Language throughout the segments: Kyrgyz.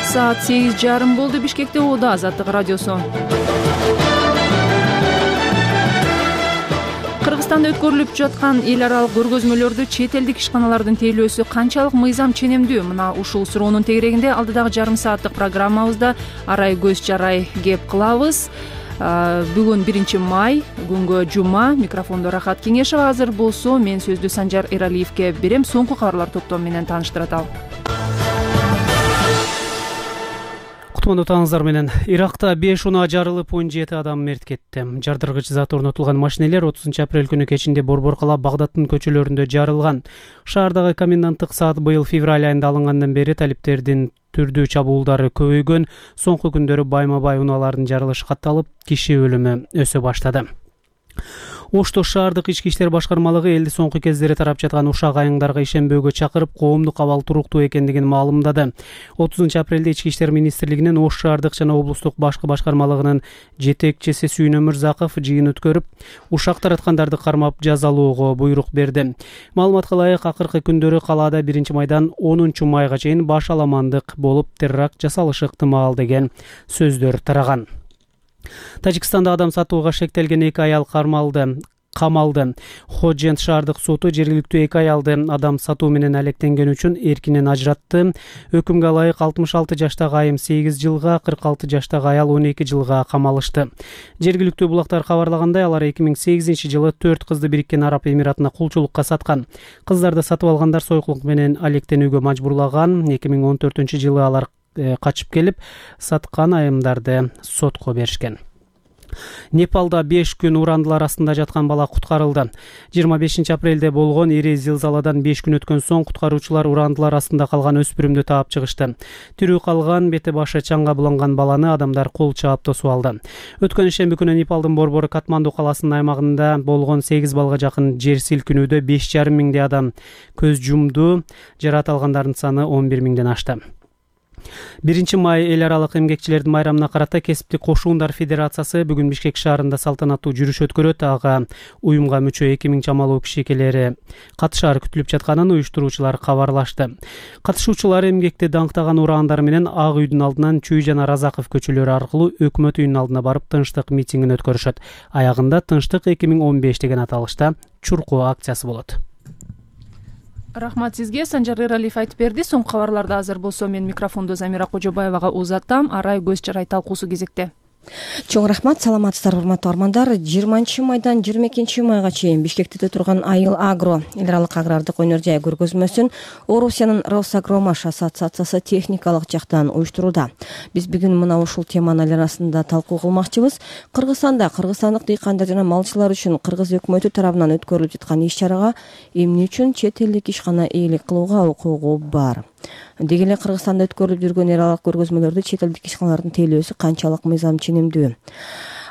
Саат 8:30 болду. Бишкекте Оода Азаттык радиосу. Кыргызстанда өткөрүлүп жаткан эл аралык көргөзмөлөрдү чет элдик ишканалардын тейлөөсү канчалык мыйзам ченемдүү? Мына ушул суроонун тегерегинде алдыдагы жарым сааттык программабызда арай көз жарай кеп кылабыз. Бүгүн 1 май, күнгө жума. Микрофондо Рахат Кеңешева. Азыр болсо мен сөздү Санжар Эралиевке берем. Соңку кабарлар топтому менен тааныштырат ал. Кутмандуу таңыңыздар менен. Иракта 5 унаа жарылып 17 адам мерт кетти. Жардыргыч зат орнотулган машинелер 30 апрель күнү кечинде Борбор-кала Багдадтын көчөлөрүндө жарылган. Шаардагы коменданттык саат быйыл февраль айында алынгандан бери талиптердин түрдүү чабуулдары көбөйгөн. Соңку күндөрү байма-бай унаалардын жарылышы катталып, киши өлүмү өсө баштады. Ошто шаардык ички иштер башкармалыгы элди соңку кездери тарап жаткан ушак айыңдарга ишенбөөгө чакырып, коомдук абал туруктуу экендигин маалымдады. 30 апрелде Ички иштер министрлигинин Ош шаардык жана облустук башкы башкармалыгынын жетекчиси Сүйүн Өмүрзаков жыйын өткөрүп, ушак тараткандарды кармап жазалоого буйрук берди. Маалыматка ылайык, акыркы күндөрү калаада 1 майдан 10 майга чейин баш аламандык болуп теракт жасалышы ыктымал деген сөздөр тараган. Тажикстанда адам сатууга шектелген 2 аял камалды. Ходжент шаардык соту жергиликтүү 2 аялды адам сатуу менен алектенгени үчүн эркинен ажыратты. Өкүмгө ылайык 66 жаштагы айым 8 жылга, 46 жаштагы аял 12 жылга камалышты. Жергиликтүү булактар кабарлагандай, алар 2008 жылы 4 кызды Бириккен Араб Эмиратына кулчулукка саткан. Кыздарды сатып алгандар сойкулук менен алектенүүгө мажбурлаган. 2014 жылы алар качып келип, саткан айымдарды сотко беришкен. Непалда 5 күн урандылар астында жаткан бала куткарылды. 25 апрелде болгон ири зилзаладан 5 күн өткөн соң куткаруучулар урандылар астында калган өспүрүмдү таап чыгышты. Тирүү калган, бети башы чаңга буланган баланы адамдар кол чаап тосуп алды. Өткөн ишемби күнү Непалдын борбору Катманду каласынын аймагында болгон 8 балга жакын жер силкинүүдө 5,5 миңдей адам көз жумду. Жаракат алгандардын саны 11 миңден ашты. 1 май эл аралык эмгекчилердин майрамына карата Кесиптик кошуундар федерациясы бүгүн Бишкек шаарында салтанаттуу жүрүш өткөрөт. Ага уюмга мүчө 2000 чамалуу кишикелери катышары күтүлүп жатканын уюштуруучулар кабарлашты. Катышуучулар эмгекти даңктаган ураандар менен Ак үйдүн алдынан Чүй жана Разаков көчөлөрү аркылуу өкмөт үйүнүн алдына барып тынчтык митингин өткөрүшөт. Аягында Тынчтык 2015 деген аталышта чуркоо акциясы болот. Рахмат сизге. Санжар Эралиев айтып берди. Соңку кабарларды азыр болсо мен микрофонду Замира Кожобаевага узаттам. Арай көз жарай талкуусу кезекте. Чоң рахмат, саламатсыздарбы урматтуу армандар. 20 майдан 22 майга чейин Бишкекте турган Айыл Агро эл аралык агрардык өнөр жай көргөзмөсүн Орусиянын Росагромаш ассоциациясы техникалык жактан уюштурууда. Биз бүгүн мына ушул теманын айланасында талкуу кылмакчыбыз. Кыргызстанда кыргызстандык дыйкандар жана малчылар үчүн кыргыз өкмөтү тарабынан өткөрүлүп жаткан иш-чарага эмне үчүн чет элдик ишкана ээлик кылууга укугу бар? Деги эле Кыргызстанда өткөрүлүп жүргөн эл аралык көргөзмөлөрдү чет элдик ишканалардын тейлөөсү канчалык мыйзам ченемдүү?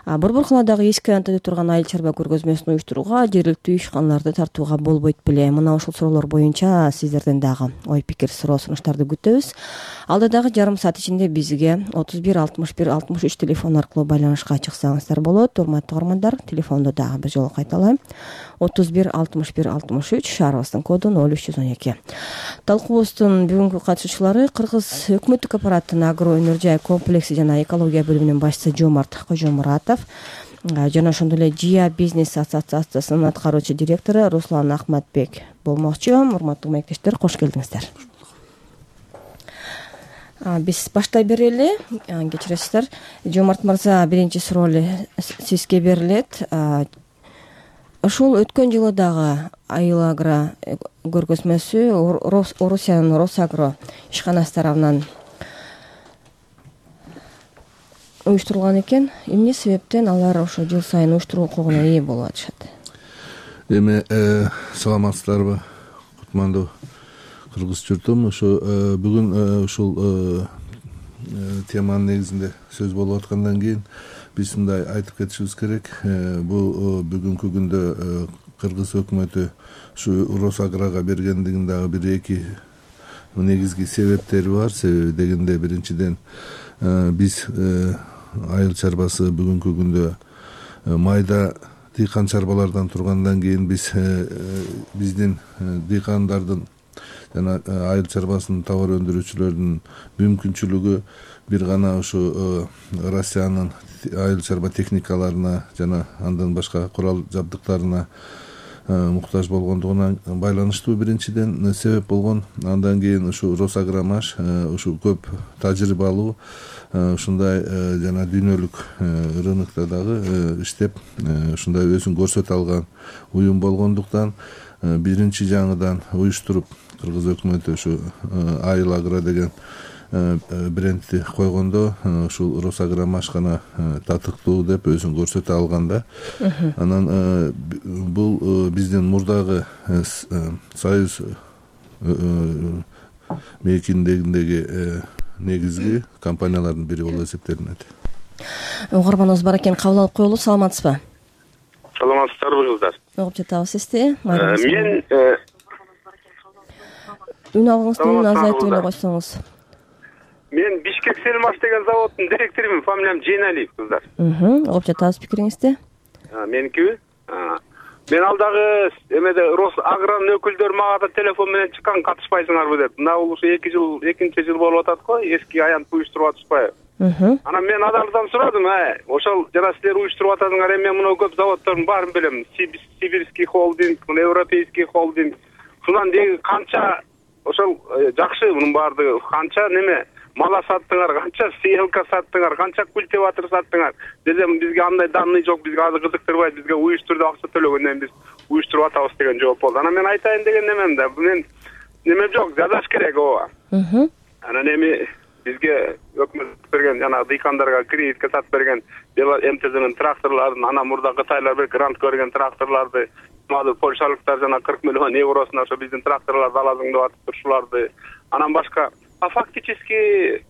Борбор-каладагы эски антада турган айыл чарба көргөзмөсүн уюштурууга жергиликтүү ишканаларды тартууга болбойт беле? Мына ушул суроолор боюнча сиздерден дагы ой пикир, суроо сунуштарды күтөбүз. Алдыдагы жарым саат ичинде бизге 31 61 63 телефон аркылуу байланышка чыксаңыздар болот. Урматтуу армандар, телефонду дагы бир жолу кайталайм. 31 61 63, шаарыбыздын коду 0312. Талкуубуздун бүгүнкү катышуучулары Кыргыз өкмөттүк аппараттын агро өнөр жай комплекси жана экология бөлүмүнүн башчысы Жомарт Кожомуратов жана ошондой эле Жия бизнес ассоциациясынын аткаруучу директору Руслан Ахматбек болмокчу. Урматтуу мектештер, кош келдиңиздер. Биз баштай берели. Кечиресиздер. Жомарт мырза, биринчи суроо эле сизге берилет. Ушул өткөн жылы дагы Айыл Агро көргөзмөсү Орусиянын Росагро ишканасы тарабынан уюштурулган экен. Эмне себептен алар ошо жыл сайын уюштуруу укугуна ээ болуп атышат? Эми саламатсыздарбы, кутмандуу кыргыз журтум. Ошо бүгүн ушул теманын негизинде сөз болуп аткандан кийин биз мындай айтып кетишибиз керек. Бул бүгүнкү күндө кыргыз өкмөтү ушу Росаграга бергендигин дагы бир эки негизги себептери бар. Себеби дегенде биринчиден биз айыл чарбасы бүгүнкү күндө майда дыйкан чарбалардан тургандан кийин биздин дыйкандардын жана айыл чарбасынын товар өндүрүүчүлөрүнүн мүмкүнчүлүгү бир гана ушу Россиянын айыл чарба техникаларына жана андан башка курал жабдыктарына муктаж болгондугуна байланыштуу биринчиден себеп болгон. Андан кийин ушу Росагромаш ушу көп тажрыйбалуу ушундай жана дүйнөлүк рынокто дагы иштеп ушундай өзүн көрсөтө алган уюм болгондуктан биринчи жаңыдан уюштуруп кыргыз өкмөтү ушу Айыл Агро деген брендти койгондо ушул Росагромаш гана татыктуу деп өзүн көрсөтө алган да. Анан бул биздин мурдагы Союз мейкиндегиндеги негизги компаниялардын бири болуп эсептелинет. Угарманыбыз бар экен, кабыл алып коелу. Саламатсызбы? Саламатсыздарбы кыздар? Угуп жатабыз сизди. Мен үн алгыңызды азайтып эле койсоңуз. Мен Бишкек Селмаш деген заводдун директорумун, фамилиям Жейналиев кыздар. Угуп жатабыз пикириңизди. Меникиби? Мен алдагы эмеде Росагронун өкүлдөрү мага да телефон менен чыккан, катышпайсыңарбы деп. Мына бул ушу экинчи жыл болуп атат го, эски аянт уюштуруп атышпайбы? Анан мен адалдан сурадым, ошол жана силер уюштуруп атасыңар, мен мына көп заводдордун баарын билем. Сибирский холдинг, Европейский холдинг. Шунан деги канча ошол жакшы мунун баардыгы, канча неме мала саттыңар, канча селка саттыңар, канча культиватор саттыңар десем, бизге андай данный жок, бизге азыр кызыктырбайт, бизге уюштурду акча төлөгөндөн биз уюштуруп атабыз деген жооп болду. Анан мен айтайын деген немем да, мен неме жок, жазаш керек ооба. Анан эми бизге өкмөт берген жана дыйкандарга кредитке сатып берген МТЗнын тракторлорун, анан мурда Кытайлар бир грант көргөн тракторлорду, польшалыктар жана 40 миллион евросуна ошо биздин тракторлорду аласың деп атып турушуларды, анан башка фактически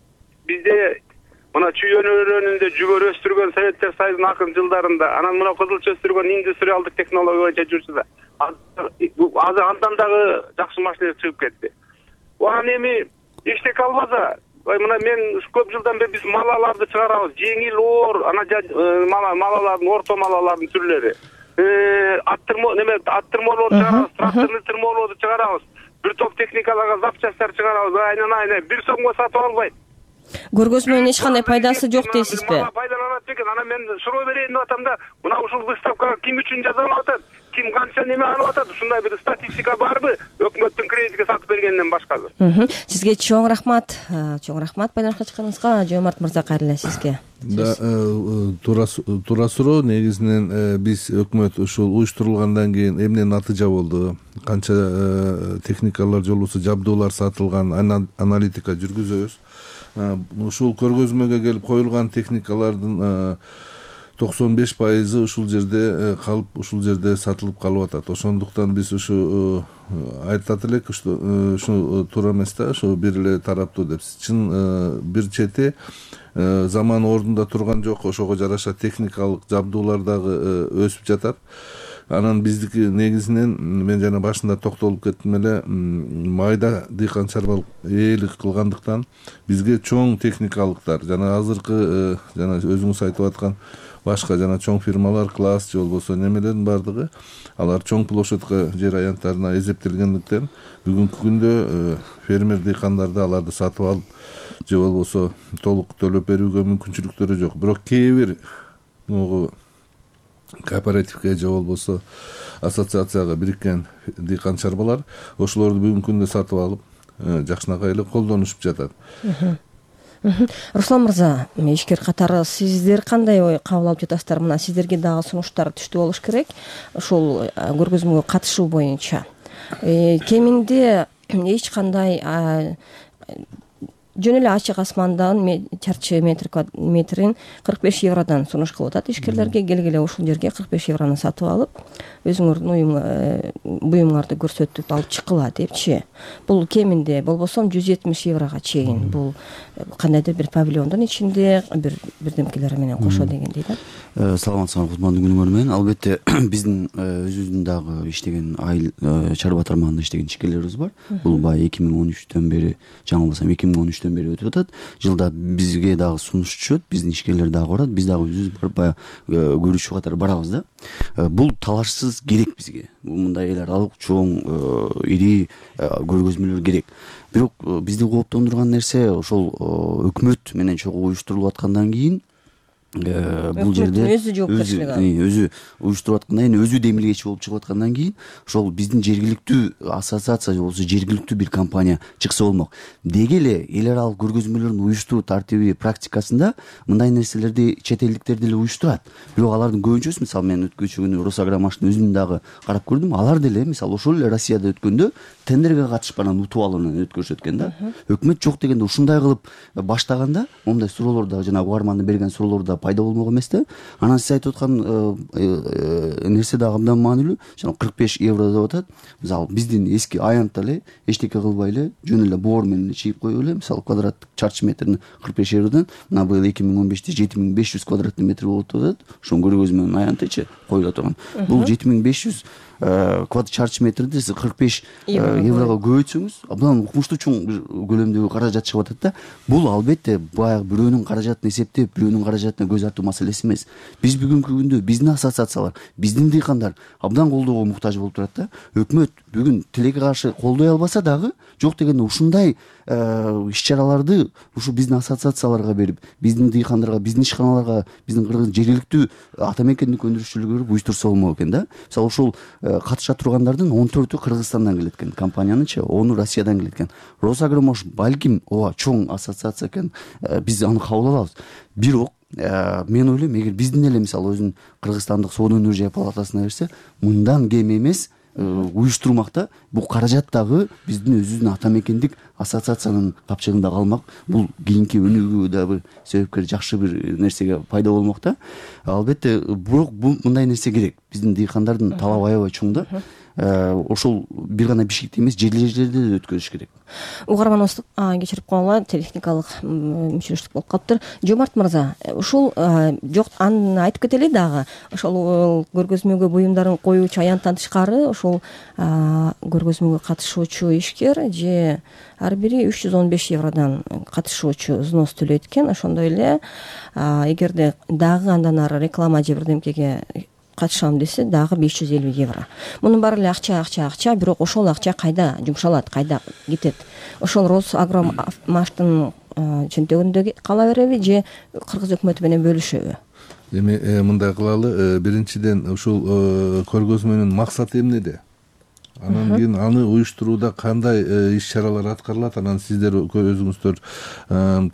бизде мына чүй өнөрүндө жүгөр өстүргөн Советтер Союзунун акыркы жылдарында, анан мына кызылча өстүргөн индустриалдык технология боюнча жүрчү да. Азыр андан дагы жакшы машина чыгып кетти. Анан эми эчтеке албаса, мына мен көп жылдан бери биз малаларды чыгарабыз, жеңил оор, анан малалардын, орто малалардын түрлөрү. Аттырмолорду чыгарабыз, тракторный тырмолорду чыгарабыз. Бир топ техникаларга запчасттар чыгарабыз, айнан бир сомго сатып албайт. Көргөзмөнүн эч кандай пайдасы жок дейсизби? Пайдаланат бекен. Анан мен суроо берейин деп атам да, мына ушул выставкага ким үчүн жасалып атат? Ким канча неме алып атат? Ушундай бир статистика барбы? Өкмөттүн кредитке сатып бергенден башкасы. Сизге чоң рахмат. Чоң рахмат байланышка чыкканыңызга. Жомарт мырза, кайрылы сизге. Да, туура суроо. Негизинен биз өкмөт ушул уюштурулгандан кийин эмне натыйжа болду? Канча техникалар жолубузу жабдуулар сатылган, аналитика жүргүзөбүз. Ушул көргөзмөгө келип коюлган техникалардын 95% ушул жерде калып, ушул жерде сатылып калып атат. Ошондуктан биз ушу айтат элек, ушу туура эмес да, ушу бир эле тараптуу деп. Чын бир чети заман ордунда турган жок, ошого жараша техникалык жабдуулар дагы өсүп жатат. Анан биздики негизинен мен жана башында токтолуп кеттим эле, майда дыйкан чарбалык ээлик кылгандыктан бизге чоң техникалыктар жана азыркы жана өзүңүз айтып аткан башка жана чоң фирмалар, класс же болбосо немелердин баардыгы алар чоң площадька жер аянттарына эсептелгендиктен бүгүнкү күндө фермер дыйкандарды аларды сатып алып же болбосо толук төлөп берүүгө мүмкүнчүлүктөрү жок. Бирок кээ бир кооперативге же болбосо ассоциацияга бириккен дыйкан чарбалар ошолорду бүгүнкү күндө сатып алып жакшынакай эле колдонушуп жатат. Руслан мырза, ишкер катары сиздер кандай ой кабыл алып жатасыздар? Мына сиздерге дагы сунуштар түштүү болуш керек ушул көргөзмөгө катышуу боюнча. Кеминде эч кандай жөн эле ачык асмандан чарчы метрин 45 евродон сунуш кылып атат ишкерлерге. Келгиле ушул жерге 45 еврону сатып алып, өзүңөрдүн буюмуңарды көрсөтүп алып чыккыла депчи. Бул кеминде болбосо 170 еврого чейин. Бул кандайдыр бир павильондун ичинде бирдемкелери менен кошо дегендей да. Саламатсыздарбы, кутмандуу күнүңөр менен. Албетте биздин өзүбүздүн дагы иштеген айыл чарба тармагында иштеген ишкерлерибиз бар. Бул баягы 2013-төн бери, жаңылбасам 2013 өкмөттөн бери өтүп атат. Жылда бизге дагы сунуш түшөт, биздин ишкерлер дагы барат, биз дагы өзүбүз барып баягы көрүүчү катары барабыз да. Бул талашсыз керек бизге. Мындай эл аралык чоң ири көргөзмөлөр керек. Бирок бизди кооптондурган нерсе ошол өкмөт менен чогуу уюштурулуп аткандан кийин бул жерде өзү уюштуруп аткандан кийин өзү демилгечи болуп чыгып аткандан кийин ошол биздин жергиликтүү ассоциация же болбосо жергиликтүү бир компания чыкса болмок. Деги эле эл аралык көргөзмөлөрдүн уюштуруу тартиби практикасында мындай нерселерди чет элдиктер деле уюштурат. Бирок алардын көбүнчөсү, мисалы мен өткөнчү күнү Росагромаштын өзүн дагы карап көрдүм, алар деле мисалы ошол эле Россияда өткөндө тендерге катышып анан утуп алуу менен өткөрүшөт экен да. Өкмөт жок дегенде ушундай кылып баштаганда моундай суроолор да жана угармандын берген суроолору да пайда болмок эмес да. Анан сиз айтып аткан нерсе дагы абдан маанилүү. Жана 45 евро деп атат. Мисалы биздин эски аянтта эле эчтеке кылбай эле жөн эле боор менен чийип коюп эле, мисалы квадраттык чарчы метрин 45 евродон мына быйыл 2015-те 7500 квадратный метр болот деп атат. Ошонун көргөзмөнүн аянтычы коюла турган. Бул 7500 чарчы метрди сиз 45 еврого көбөйтсөңүз абдан укмуштуу чоң көлөмдөгү каражат чыгып атат да. Бул албетте баягы бирөөнүн каражатын эсептеп, бирөөнүн каражатына көз артуу маселеси эмес. Биз бүгүнкү күндө биздин ассоциациялар, биздин дыйкандар абдан колдоого муктаж болуп турат да. Өкмөт бүгүн тилекке каршы колдой албаса дагы жок дегенде ушундай иш-чараларды ушу биздин ассоциацияларга берип, биздин дыйкандарга, биздин ишканаларга, биздин кыргыз жергиликтүү ата мекендик өндүрүшчүлөргө уюштурса болмок экен да. Мисалы ошол катыша тургандардын 14-ү Кыргызстандан келет экен, компаниянычы 10-у Россиядан келет экен. Росагромаш балким ооба чоң ассоциация экен, биз аны кабыл алабыз. Бирок мен ойлойм, эгер биздин эле мисалы өзүнүн Кыргызстандык соода өнөр жай палатасына берсе, мындан кем эмес уюштурмакта бул каражат дагы биздин өзүбүздүн ата мекендик ассоциациянын капчыгында калмак. Бул кийинки өнүгүүгө да бир себепкер, жакшы бир нерсеге пайда болмок да. Албетте, бирок бул мындай нерсе керек. Биздин дыйкандардын талабы аябай чоң да. Ошол бир гана Бишкекте эмес, жерлерде да өткөрүш керек. Угарманыбыз кечирип койгула, техникалык мүчүлүштүк болуп калыптыр. Жомарт мырза, ушул жок, аны айтып кетели дагы. Ошол көргөзмөгө буюмдарын коюучу аянттан тышкары ошол көргөзмөгө катышуучу ишкер же ар бири 315 евродон катышуучу взнос төлөйт экен. Ошондой эле эгерде дагы андан ары реклама же бирдемкеге катышам десе дагы 550 евро. Мунун баары эле акча, бирок ошол акча кайда жумшалат, кайда кетет? Ошол Росагромаштын чөнтөгүндө кала береби же кыргыз өкмөтү менен бөлүшөбү? Эми мындай кылалы, биринчиден ушул көргөзмөнүн максаты эмнеде? Анан кийин аны уюштурууда кандай иш-чаралар аткарылат, анан сиздер өзүңүздөр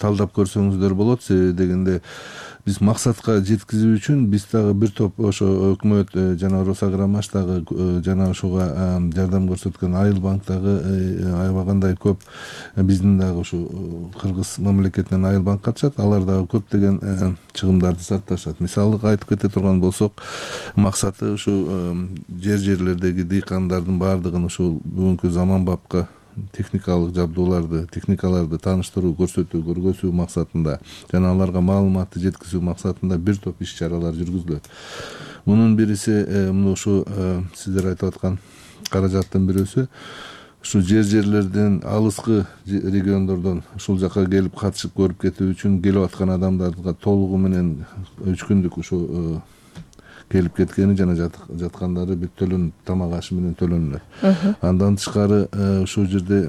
талдап көрсөңүздөр болот. Себеби дегенде биз максатка жеткизүү үчүн биз дагы бир топ ошо өкмөт жана Росагромаш дагы жана ошого жардам көрсөткөн Айыл банк дагы аябай кандай көп, биздин дагы ушу Кыргыз мамлекетинен Айыл банк катышат, алар дагы көптөгөн чыгымдарды сарпташат. Мисалы айтып кете турган болсок, максаты ушу жерлердеги дыйкандардын баардыгын ушул бүгүнкү заманбапка техникалык техникаларды тааныштыруу, көрсөтүү, көргөзүү максатында жана аларга маалыматты жеткизүү максатында бир топ иш-чаралар жүргүзүлөт. Мунун бириси ушу сиздер айтып аткан каражаттын бирөөсү ушу жерлерден, алыскы региондордон ушул жака келип катышып көрүп кетүү үчүн келип аткан адамдарга толугу менен 3 күндүк ушу келип кеткени жана жаткандары бүт төлөнүп, тамак ашы менен төлөнүлөт. Андан тышкары ушул жерде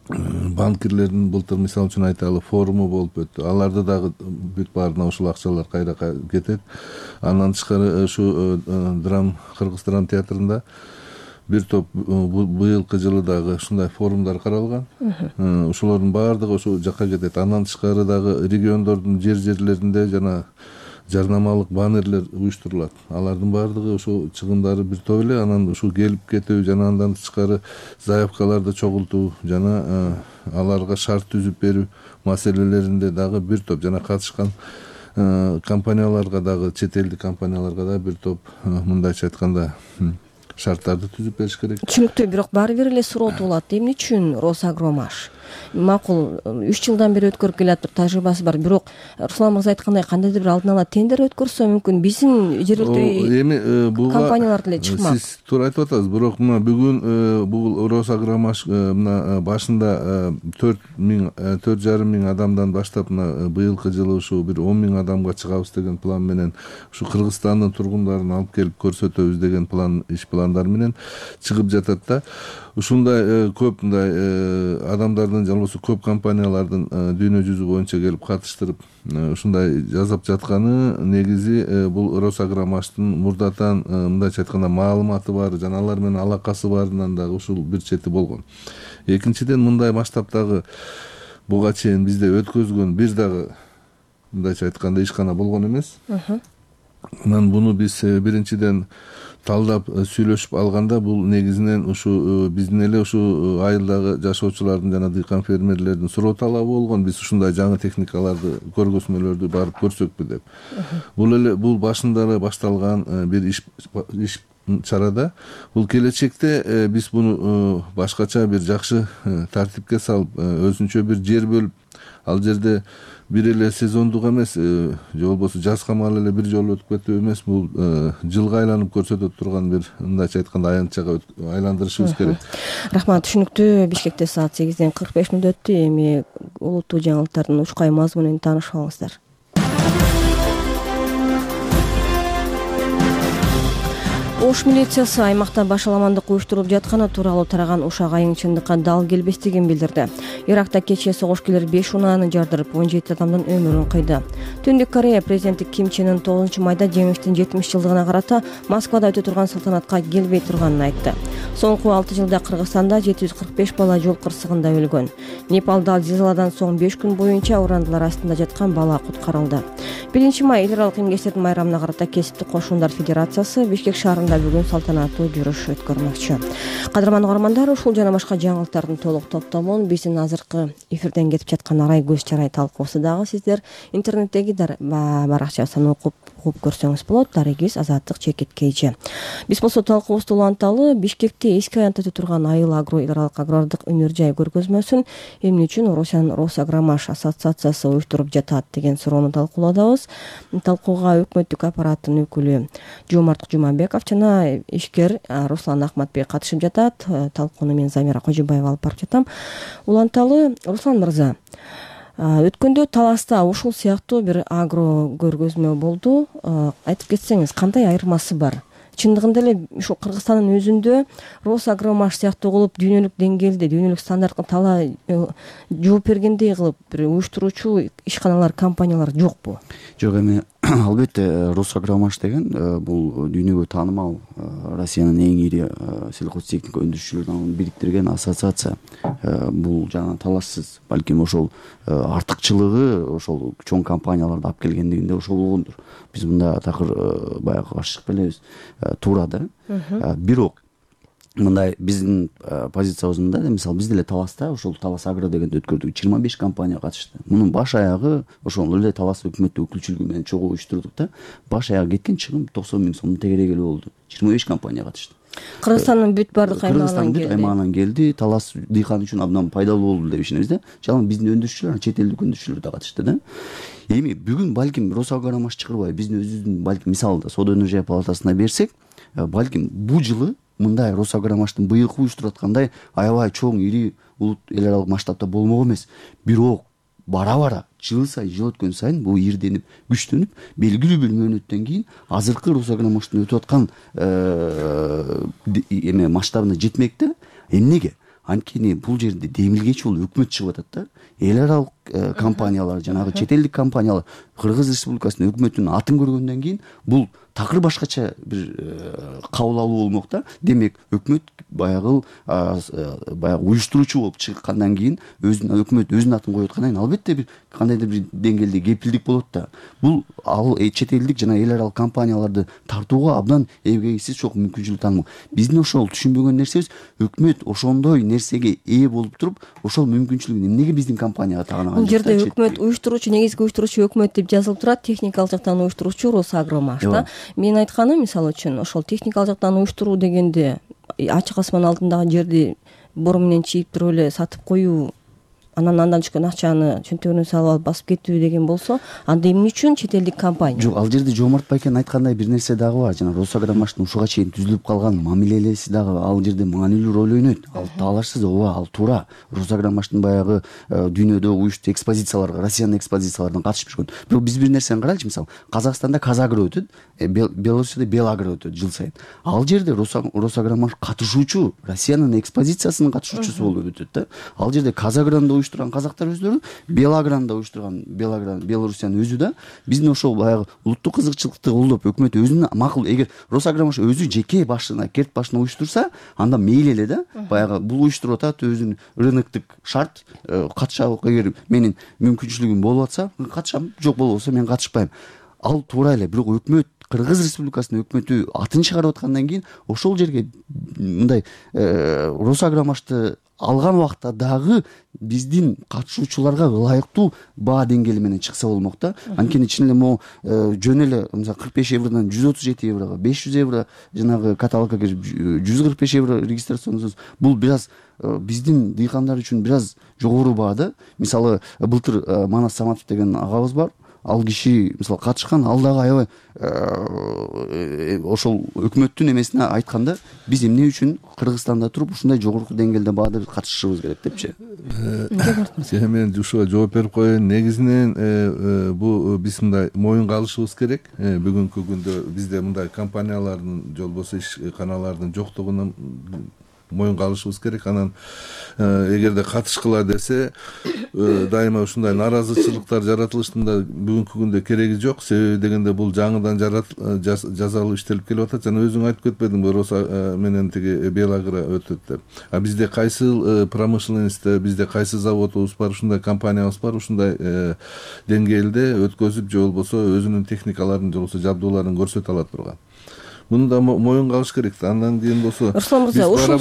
банкирлердин былтыр мисалы үчүн айталы форуму болуп өттү. Аларды дагы бүт баарына ушул акчалар кайра кетет. Андан тышкары ушу Кыргыз драм театрында бир топ быйылкы жылы дагы ушундай форумдар каралган. Ушулордун баардыгы ошол жакка кетет. Андан тышкары дагы региондордун жерлеринде жана жарнамалык баннерлер уюштурулат. Алардын баардыгы ошол чыгымдары бир топ эле. Анан ушул келип кетүү жана андан тышкары заявкаларды чогултуу жана аларга шарт түзүп берүү маселелеринде дагы бир топ жана катышкан компанияларга дагы, чет элдик компанияларга да бир топ мындайча айтканда шарттарды түзүп бериш керек. Түшүнүктүү, бирок баары бир эле суроо туулат. Эмне үчүн Росагромаш? макул 3 жылдан бери өткөрүп келатыр, тажрыйбасы бар. Бирок Руслан мырза айткандай кандайдыр бир алдын ала тендер өткөрсө мүмкүн биздин жергиликтүү эми компаниялар деле чыкмак. Сиз туура айтып атасыз. Бирок мына бүгүн бул Росагромаш мына башында 4,5 миң адамдан баштап мына быйылкы жылы ушу бир 10 миң адамга чыгабыз деген план менен ушу Кыргызстандын тургундарын алып келип көрсөтөбүз деген иш пландар менен чыгып жатат да. Ушундай көп мындай адамдардын же болбосо көп компаниялардын дүйнө жүзү боюнча келип катыштырып ушундай жасап жатканы негизи бул Росагромаштын мурдатан мындайча айтканда маалыматы бар жана алар менен алакасы барынан дагы ушул бир чети болгон. Экинчиден, мындай масштабтагы буга чейин бизде өткөзгөн бир дагы мындайча айтканда ишкана болгон эмес. Анан буну биз биринчиден талдап сүйлөшүп алганда бул негизинен ушу биздин эле ушу айылдагы жашоочулардын жана дыйкан фермерлердин суроо талабы болгон. Биз ушундай жаңы техникаларды, көргөзмөлөрдү барып көрсөкпү деп. Бул башында эле башталган бир иш чарада. Бул келечекте биз буну башкача бир жакшы тартипке салып, өзүнчө бир жер бөлүп, ал жерде бир эле сезондук эмес, же болбосо жаз камал эле бир жолу өтүп кетүү эмес, бул жылга айланып көрсөтө турган бир мындайча айтканда аянтчага айландырышыбыз керек. Рахмат, түшүнүктүү. Бишкекте саат 8:45 өттү. Эми улуттуу жаңылыктардын учкай мазмунун таанышып алыңыздар. Ош милициясы аймакта башаламандык уюштурулуп жатканы тууралуу тараган ушак айың чындыкка дал келбестигин билдирди. Иракта кечээ согушкерлер 5 унааны жардырып, 17 адамдын өмүрүн кыйды. Түндүк Корея президенти Ким Чен Ын 9 майда жеңиштин 70 жылдыгына карата Москвада өтө турган салтанатка келбей турганын айтты. Соңку 6 жылда Кыргызстанда 745 бала жол кырсыгында өлгөн. Непалда зилзаладан соң 5 күн боюнча урандылар астында жаткан бала куткарылды. 1 май эл аралык эмгекчилердин майрамына карата Кесиптик кошундар федерациясы Бишкек шаарында бүгүн салтанаттуу жүрүш өткөрмөкчү. Кадырман угармандар, ушул жана башка жаңылыктардын толук топтомун биздин азыркы эфирден кетип жаткан Арай көз чарай талкуусу дагы сиздер интернеттеги баракчасынан окуп көрсөңүз болот. Дарегиз Азаттык ЧКТ. Биз болсо талкуубузду уланталы. Бишкекте эски аянтта өтө турган Айыл Агро эл аралык агрардык өнөр жай көргөзмөсүн эмне үчүн Орусиянын Росагромаш ассоциациясы уюштуруп жатат деген суроону талкууладабыз. Талкууга өкмөттүк аппараттын өкүлү Жомарт Жумабеков жана ишкер Руслан Ахматбек катышып жатат. Талкууну мен Замира Кожубаева алып барып жатам. Уланталы. Руслан мырза, өткөндө Таласта ушул сыяктуу бир агро көргөзмө болду. Айтып кетсеңиз, кандай айырмасы бар? Чындыгында эле ушул Кыргызстандын өзүндө Росагромаш сыяктуу кылып дүйнөлүк деңгээлде, дүйнөлүк стандартка талай жооп бергендей кылып бир уюштуруучу ишканалар, компаниялар жокпу? Жок, эми албетте Росагромаш деген бул дүйнөгө таанымал Россиянын эң ири сельхозтехника өндүрүүчүлөрүн бириктирген ассоциация. Бул жана талашсыз, балким ошол артыкчылыгы ошол чоң компанияларды алып келгендигинде ошол болгондур. Биз мында такыр баягы ашык белебиз, туура да. Бирок мындай биздин позициябызда, мисалы биз деле Таласта ошол Талас Агро дегенди өткөрдүк. 25 компания катышты. Мунун баш аягы ошол эле Талас өкмөттүк өкүлчүлүгү менен чогуу уюштурдук да. Баш аягы кеткен чыгым 90 миң сомдун тегереги эле болду. 25 компания катышты. Кыргызстандын бүт бардык аймагынан келди. Талас дыйкан үчүн абдан пайдалуу болду деп ишенебиз да. Жалаң биздин өндүрүүчүлөр, чет элдик өндүрүүчүлөр да катышты да. Эми бүгүн балким Росагромаш чыгарбай биздин өзүбүздүн балким мисалда Соода өнөр жай палатасына берсек, балким бул жылы мындай Росагромаштын быйылкы уюштуруп аткандай аябай чоң ири улут эл аралык масштабта болмок эмес. Бирок бара жыл өткөн сайын бул ирденип, күчтөнүп, белгилүү бир мөөнөттөн кийин азыркы Росагромаштын өтүп аткан эме масштабына жетмек да. Эмнеге? Анткени бул жерде демилгечи бул өкмөт чыгып атат да. Эл аралык компаниялар, жанагы чет элдик компаниялар Кыргыз Республикасынын өкмөтүнүн атын көргөндөн кийин бул такыр башкача бир кабыл алуу болмок да. Демек өкмөт баягы уюштуруучу болуп чыккандан кийин өкмөт өзүнүн атын коюп аткандан кийин албетте бир кандайдыр бир деңгээлде кепилдик болот да. Бул ал чет элдик жана эл аралык компанияларды тартууга абдан эбегейсиз чоң мүмкүнчүлүк таанымал. Биздин ошол түшүнбөгөн нерсебиз, өкмөт ошондой нерсеге ээ болуп туруп, ошол мүмкүнчүлүгүн эмнеге биздин компанияга тагынаган? Бул жерде өкмөт уюштуруучу, негизги уюштуруучу өкмөт деп жазылып турат, техникалык жактан уюштуруучу Росагромаш да. Мен айтканым, мисалы үчүн, ошол техникалык жактан уюштуруу дегенде ачык асман алдындагы жерди бору менен чийип туруп эле сатып коюу андан түшкөн акчаны чөнтөгүнө салып алып басып кетүү деген болсо, анда эмне үчүн чет элдик компания? Жок, ал жерде Жоомарт Байкенин айткандай бир нерсе дагы бар. Жана Росагромаштын ушуга чейин түзүлүп калган мамилелеси дагы ал жерде маанилүү роль ойнойт. Ал талашсыз, ооба, ал туура. Росагромаштын баягы дүйнөдө уюштуу экспозицияларга, Россиянын экспозицияларына катышып жүргөн. Бирок биз бир нерсени карайлычы, мисалы, Казакстанда Казагро өтөт, Белоруссияда Белагро өтөт жыл сайын. Ал жерде Росагромаш катышуучу, Россиянын экспозициясынын катышуучусу болуп өтөт да. Ал жерде Казагрону уюштурган казактар өздөрү, Белагрону уюштурган Белоруссиянын өзү да биздин ошол баягы улуттук кызыкчылыкты колдоп, өкмөт өзүнүн макул, эгер Росагромаш өзү жеке башына, керт башына уюштурса, анда мейли эле да. Баягы бул уюштуруп атат, өзүнүн рыноктук шарт, катышалык, эгер менин мүмкүнчүлүгүм болуп атса, катышам, жок болбосо мен катышпайм. Ал туура эле, бирок өкмөт, Кыргыз Республикасынын өкмөтү атын чыгарып аткандан кийин ошол жерге мындай Росагромашты алган убакта дагы биздин катышуучуларга ылайыктуу баа деңгээли менен чыкса болмок да. Анткени чын эле могу жөн эле мисалы 45 евродон 137 еврого, 500 евро жанагы каталогко кирип 145 евро регистрациянсыз, бул бир аз биздин дыйкандар үчүн бир аз жогору баа да. Мисалы былтыр Манас Саматов деген агабыз бар. Ал киши мисалы катышкан, ал дагы аябай ошол өкмөттүн эмесине айтканда, биз эмне үчүн Кыргызстанда туруп ушундай жогорку деңгээлде баада катышышыбыз керек депчи. Мен ушуга жооп берип коеюн. Негизинен бул биз мындай моюнга алышыбыз керек. Бүгүнкү күндө бизде мындай компаниялардын же болбосо ишканалардын жоктугунан моюнга алышыбыз керек. Анан эгерде катышкыла десе, дайыма ушундай нааразычылыктар жаратылыштын да бүгүнкү күндө кереги жок. Себеби дегенде бул жаңыдан жазалуу иштелип келип атат. Жана өзүң айтып кетпедиңби, Роса менен тиги Белагро өтөт деп. А бизде кайсыл промышленностьта, бизде кайсы заводубуз бар, ушундай компаниябыз бар, ушундай деңгээлде өткөзүп же болбосо өзүнүн техникаларын же болбосо жабдууларын көрсөтө ала турган. Муну да моюнга алыш керек да. Андан кийин болсо Руслан мырза, ушул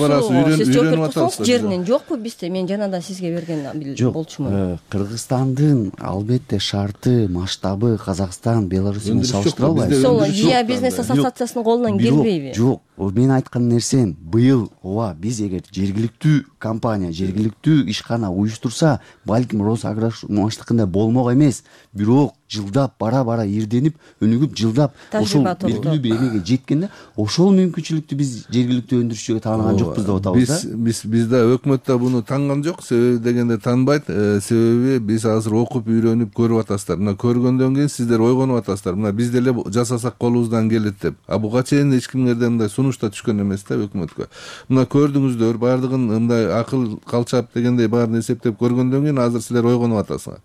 сиз жооп берип атабыз. Жеринен жокпу бизде? Мен жанадан сизге берген болчумун. Кыргызстандын албетте шарты, масштабы Казакстан, Беларусь менен салыштыра албайбыз. Сол ЖИА бизнес ассоциациясынын колунан келбейби? Жок, мен айткан нерсем быйыл ооба биз эгер жергиликтүү компания, жергиликтүү ишкана уюштурса, балким Росагромаштыкындай болмок эмес, бирок жылдап бара ирденип, өнүгүп, жылдап ошол белгилүү бир эмеге жеткенде, ошол мүмкүнчүлүктү биз жергиликтүү өндүрүшчүгө таанган жокпуз деп атабыз да. Биз да өкмөт да буну таанган жок. Себеби дегенде таанбайт. Себеби биз азыр окуп, үйрөнүп, көрүп атасыздар. Мына көргөндөн кийин сиздер ойгонуп атасыздар. Мына биз деле жасасак колубуздан келет деп. А буга чейин эч кимдерден мындай сунуш да түшкөн эмес да өкмөткө. Мына көрдүңүздөр, баардыгын мындай акыл калчап дегендей баарын эсептеп көргөндөн кийин азыр силер ойгонуп атасыңар.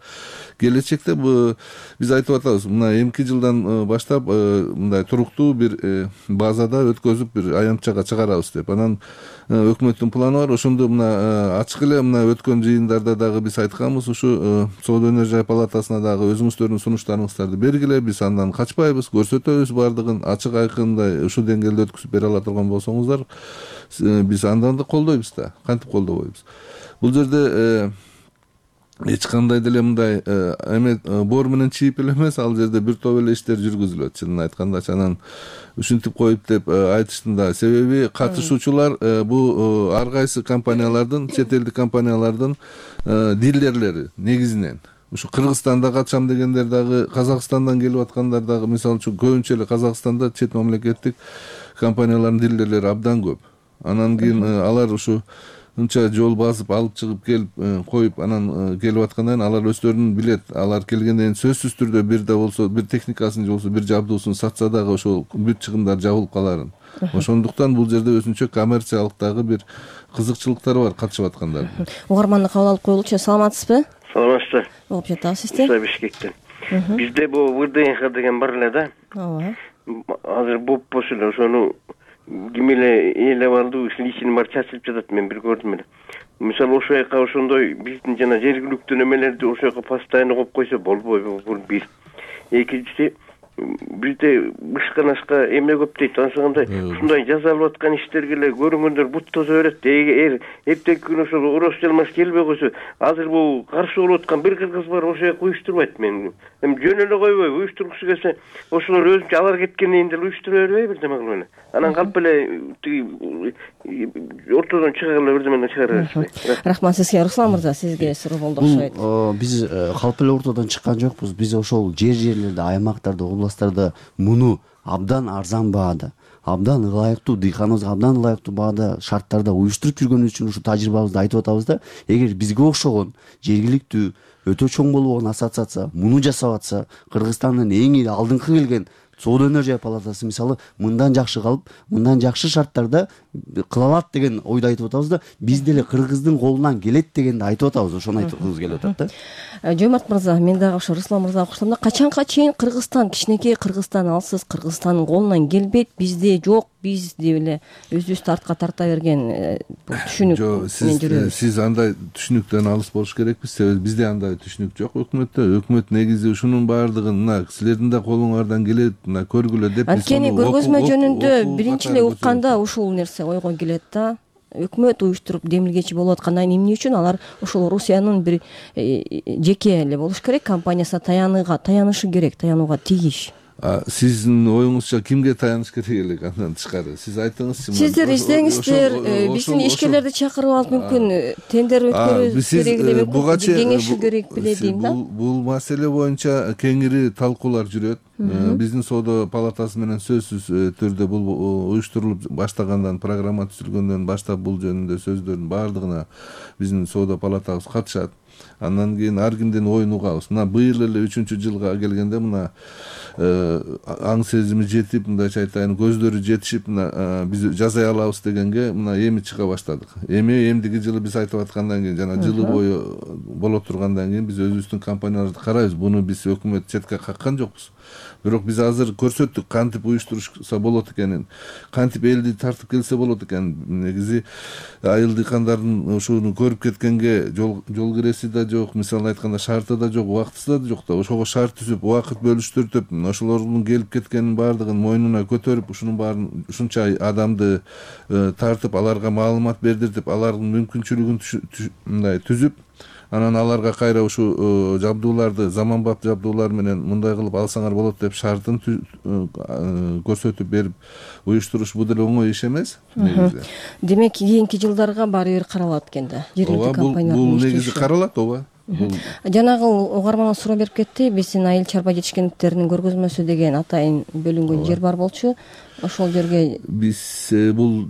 Келечекте биз айтып атабыз, мына эмки жылдан баштап мындай туруктуу бир базада өткөзүп бир аянтчага чыгарабыз деп. Анан өкмөттүн планы бар. Ошондо мына ачык эле мына өткөн жыйындарда дагы биз айтканбыз, ушу Соода өнөр жай палатасына дагы өзүңүздөрдүн сунуштарыңыздарды бергиле, биз андан качпайбыз, көрсөтөбүз баардыгын ачык айкындай ушул деңгээлде өткүзүп бере ала турган болсоңуздар, биз андан да колдойбуз да, кантип колдобойбуз. Бул жерде эч кандай деле мындай эме боор менен чийип эле эмес, ал жерде бир топ эле иштер жүргүзүлөт. Чынын айткандачы анан ушинтип коюп деп айтыштын да. Себеби катышуучулар бул ар кайсы компаниялардын, чет элдик компаниялардын дилерлери негизинен. Ушу Кыргызстанда катышам дегендер дагы, Казакстандан келип аткандар дагы, мисалы үчүн көбүнчө эле Казакстанда чет мамлекеттик компаниялардын дилерлери абдан көп. Анан кийин алар ушу мынча жол басып алып чыгып келип коюп анан келип аткандан кийин алар өздөрүнүн билет. Алар келгенден кийин сөзсүз түрдө бир да болсо бир техникасын же болбосо бир жабдуусун сатса дагы ошол бүт чыгымдар жабылып каларын. Ошондуктан бул жерде өзүнчө коммерциялык дагы бир кызыкчылыктар бар катышып аткандардын. Угарманды кабыл алып коелучу. Саламатсызбы? Саламатсызбы. Болуп жатабы сизде? Бишкектен. Бизде бул ВДНХ деген бар эле да. Ооба. Азыр болуп эле ошону ким эле ээлеп алды, личный бар чачылып жатат, мен бир көрдүм эле. Мисалы ошол жака ошондой биздин жана жергиликтүү немелерди ошол жака постоянно коюп койсо болбойбу, бул бир. Экинчиси, бизде бышкан ашка эмне көп дейт. Ошондой ушундай жасалып аткан иштерге эле көрүнгөндөр бут тозо берет. Эртеги күнү ошол Урус жалмаш келбей койсо, азыр бул каршы болуп аткан бир кыргыз бар, ошол жака уюштурбайт. Мен эми жөн эле койбой, уюштургусу келсе, ошолор өзүнчө алар кеткенден кийин деле уюштура бербей бирдеме кылып эле. Анан калп эле тиги ортодон чыга эле бирдемени чыгара беришпей. Рахмат сизге. Руслан мырза, сизге суроо болду окшойт. Биз калп эле ортодон чыккан жокпуз. Биз ошол жерлерде, аймактарда, областтарда муну абдан арзан баада, абдан ылайыктуу, дыйканыбызга абдан ылайыктуу баада, шарттарда уюштуруп жүргөнүбүз үчүн ушу тажрыйбабызды айтып атабыз да. Эгер бизге окшогон жергиликтүү өтө чоң болгон ассоциация муну жасап атса, Кыргызстандын эң ири алдыңкы келген соода өнөр палатасы мисалы мындан жакшы калып, мындан жакшы шарттарда кыла алат деген ойду айтып атабыз да. Биз деле Кыргыздын колунан келет дегенди айтып атабыз. Ошону айткыбыз келип атат да. Жомарт мырза, мен дагы ошо Руслан мырзага окшошом да, качанга чейин Кыргызстан, кичинекей Кыргызстан алсыз, Кыргызстандын колунан келбейт, бизде жок, биз деп эле өзүбүздү артка тарта берген түшүнүк менен жүрөбүз. Сиз андай түшүнүктөн алыс болуш керекпиз. Себеби бизде андай түшүнүк жок өкмөттө. Өкмөт негизи ушунун баардыгын мына силердин да колуңардан келет, мына көргүлө деп. Анткени көргөзмө жөнүндө биринчи эле укканда ушул нерсе ойго келет да. Өкмөт уюштуруп демилгечи болуп аткандан кийин эмне үчүн алар ошол Орусиянын бир жеке эле болуш керек, компаниясына таянышы керек, таянууга тийиш. Сиздин оюңузча кимге таяныш керек элек андан тышкары? Сиз айтыңызчы. Сиздер издеңиздер, биздин ишкерлерди чакырып алып мүмкүн тендер өткөрүш керек эле, мүмкүн кеңешүү керек беле дейм да. Бул маселе боюнча кеңири талкуулар жүрөт. Биздин соода палатасы менен сөзсүз түрдө бул уюштурулуп баштагандан, программа түзүлгөндөн баштап бул жөнүндө сөздөрдүн баардыгына биздин соода палатабыз катышат. Андан кийин ар кимдин оюн угабыз. Мына быйыл эле 3-жылга келгенде мына аң сезими жетип, мындайча айтайын, көздөрү жетишип, мына биз жасай алабыз дегенге мына эми чыга баштадык. Эмдиги жылы биз айтып аткандан кийин, жана жылы бою боло тургандан кийин биз өзүбүздүн компанияларды карайбыз. Буну биз өкмөт четке каккан жокпуз. Бирок биз азыр көрсөттүк кантип уюштурушса болот экенин, кантип элди тартып келсе болот экенин. Негизи айыл дыйкандардын ушуну көрүп кеткенге жол киреси да жок, мисалы айтканда шарты да жок, убактысы да жок да. Ошого шарт түзүп, убакыт бөлүштүрүп, ошолордун келип кеткенин баардыгын мойнуна көтөрүп, ушунун баарын ушунча адамды тартып, аларга маалымат бердиртип, алардын мүмкүнчүлүгүн мындай түзүп, анан аларга кайра ушу жабдууларды, заманбап жабдуулар менен мындай кылып алсаңар болот деп шартын көрсөтүп берип уюштуруш бул деле оңой иш эмес. Демек, кийинки жылдарга баары бир каралат экен да. Жергиликтүү компаниялар бул негизи каралат, ооба. Жанагы угарманга суроо берип кетти. Биздин айыл чарба жетишкендиктеринин көргөзмөсү деген атайын бөлүнгөн жер бар болчу. Ошол жерге биз бул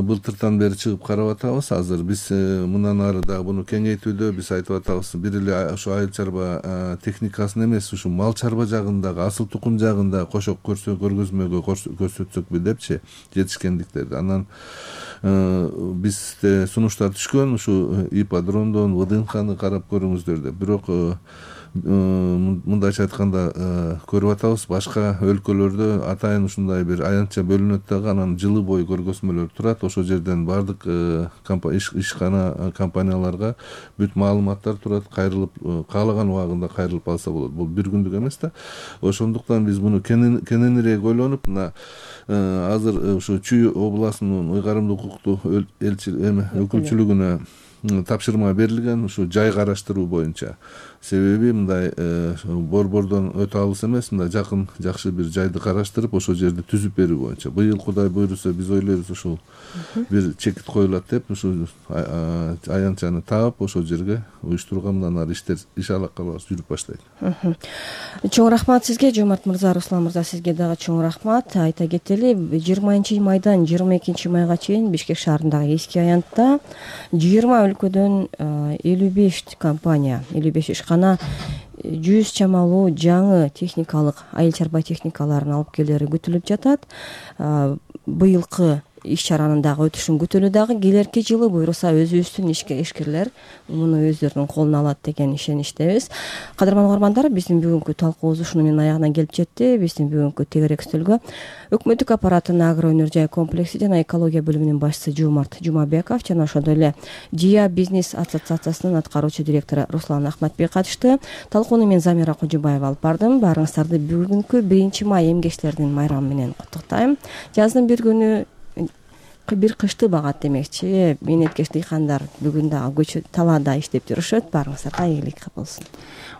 былтыртан бери чыгып карап атабыз. Азыр биз мындан ары дагы буну кеңейтүүдө биз айтып атабыз. Бир эле ошо айыл чарба техникасын эмес, ушу мал чарба жагындагы, асыл тукум жагында кошо көргөзмөгө көрсөтсөкпү депчи, жетишкендиктерди. Анан бизде сунуштар түшкөн, ушу ипподромдон ВДНХны карап көрүңүздөр деп. Бирок мындайча айтканда көрүп атабыз, башка өлкөлөрдө атайын ушундай бир аянтча бөлүнөт дагы, анан жылы бою көргөзмөлөр турат. Ошол жерден баардык ишкана компанияларга бүт маалыматтар турат, кайрылып каалаган убагында кайрылып алса болот. Бул бир күндүк эмес да. Ошондуктан биз муну кененирээк ойлонуп, мына азыр ушу Чүй областынын ыйгарымдуу укуктуу өкүлчүлүгүнө тапшырма берилген, ушу жай караштыруу боюнча. Себеби мындай борбордон өтө алыс эмес, мындай жакын жакшы бир жайды караштырып, ошол жерди түзүп берүү боюнча. Быйыл Кудай буйруса биз ойлойбуз ушул бир чекит коюлат деп, ушу аянтчаны таап, ошол жерге уюштурууга мындан ары иш алакалар жүрүп баштайт. Чоң рахмат сизге, Жомарт мырза, Руслан мырза, сизге дагы чоң рахмат. Айта кетели, 20-майдан 22-майга чейин Бишкек шаарындагы эски аянтта 20 өлкөдөн 55 компания, 55 ишкана 100 чамалуу жаңы техникалык айыл чарба техникаларын алып келери күтүлүп жатат. Быйылкы иш чаранын дагы өтүшүн күтөлү дагы. Келерки жылы буйруса өзүбүздүн ишкерлер муну өздөрүнүн колуна алат деген ишеничтебиз. Кадырман угармандар, биздин бүгүнкү талкуубуз ушуну менен аягына келип жетти. Биздин бүгүнкү тегерек стөлгө өкмөттүк аппараттын агро өнөр жай комплекси жана экология бөлүмүнүн башчысы Жомарт Жумабеков жана ошондой эле ЖИА бизнес ассоциациясынын аткаруучу директору Руслан Ахматбек катышты. Талкууну мен Замира Кожубаева алып бардым. Баарыңыздарды бүгүнкү 1 май эмгекчилердин майрамы менен куттуктайм. Жаздын бир күнү бир кышты багат демекчи. Мээнеткеч дыйкандар бүгүн дагы талаада иштеп жүрүшөт. Баарыңыздарга ийгилик болсун.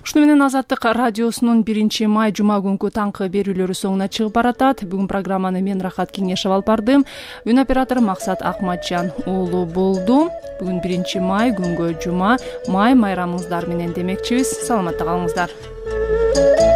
Ушуну менен Азаттык радиосунун 1 май жума күнкү таңкы берүүлөрү соңуна чыгып баратат. Бүгүн программаны мен Рахат Кеңешева алып бардым. Үн оператору Максат Акматжан уулу болду. Бүгүн 1 май күнгө жума. Май майрамыңыздар менен демекчибиз. Саламатта калыңыздар.